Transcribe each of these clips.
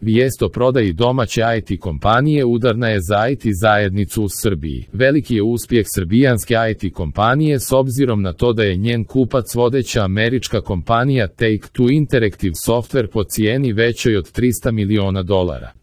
Vijest o prodaji domaće IT kompanije udarna je za IT zajednicu u Srbiji. Veliki je uspjeh srbijanske IT kompanije s obzirom na to da je njen kupac vodeća američka kompanija Take-Two Interactive Software po cijeni većoj od $300 miliona.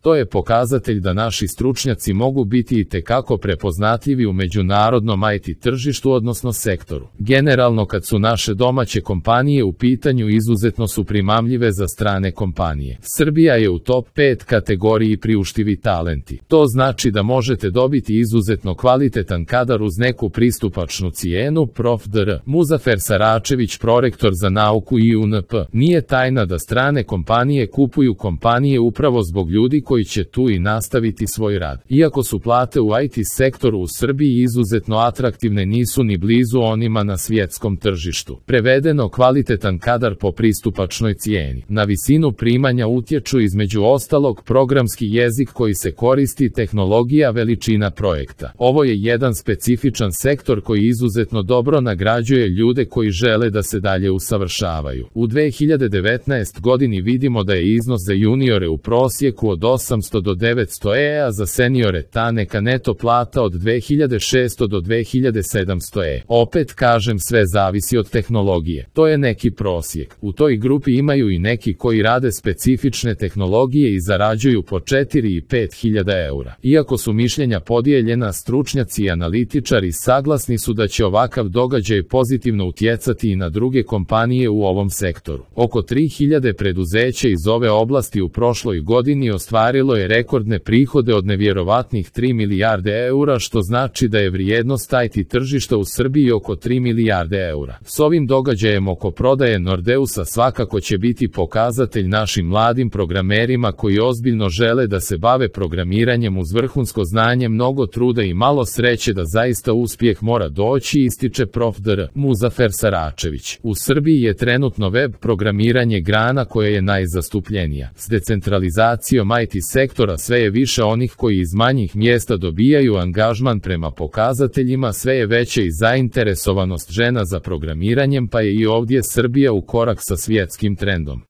To je pokazatelj da naši stručnjaci mogu biti itekako prepoznatljivi u međunarodnom IT tržištu odnosno sektoru. Generalno kad su naše domaće kompanije u pitanju izuzetno su primamljive za strane kompanije. Srbija je u top 5 kategoriji priuštivi talenti. To znači da možete dobiti izuzetno kvalitetan kadar uz neku pristupačnu cijenu. Prof. dr. Muzafer Saračević, prorektor za nauku IUNP. Nije tajna da strane kompanije kupuju kompanije upravo zbog ljudi koji će tu i nastaviti svoj rad. Iako su plate u IT sektoru u Srbiji izuzetno atraktivne, nisu ni blizu onima na svjetskom tržištu. Prevedeno, kvalitetan kadar po pristupačnoj cijeni. Na visinu primanja utječu između ostalog programski jezik koji se koristi, tehnologija, veličina projekta. Ovo je jedan specifičan sektor koji izuzetno dobro nagrađuje ljude koji žele da se dalje usavršavaju. U 2019. godini vidimo da je iznos za juniore u prosjeku od 800 do 900 a za seniore ta neka neto plata od 2600 do 2700 Opet kažem, sve zavisi od tehnologije. To je neki prosjek. U toj grupi imaju i neki koji rade specifične tehnologije i zarađuju po 4 i 5 hiljada eura. Iako su mišljenja podijeljena, stručnjaci i analitičari saglasni su da će ovakav događaj pozitivno utjecati i na druge kompanije u ovom sektoru. Oko 3000 preduzeća iz ove oblasti u prošloj godini ostvarilo je rekordne prihode od nevjerovatnih 3 milijarde eura, što znači da je vrijednost IT tržišta u Srbiji oko 3 milijarde eura. S ovim događajem oko prodaje Nordeusa svakako će biti pokazatelj našim mladim programerima koji ozbiljno žele da se bave programiranjem uz vrhunsko znanje, mnogo truda i malo sreće da zaista uspjeh mora doći, ističe prof. dr. Muzafer Saračević. U Srbiji je trenutno web programiranje grana koja je najzastupljenija. S decentralizacijom IT sektora sve je više onih koji iz manjih mjesta dobijaju angažman. Prema pokazateljima sve je veća i zainteresovanost žena za programiranjem, pa je i ovdje Srbija u korak sa svjetskim trendom.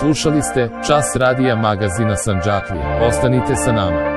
Slušali ste Čas radija magazina Sandžaklija. Ostanite sa nama.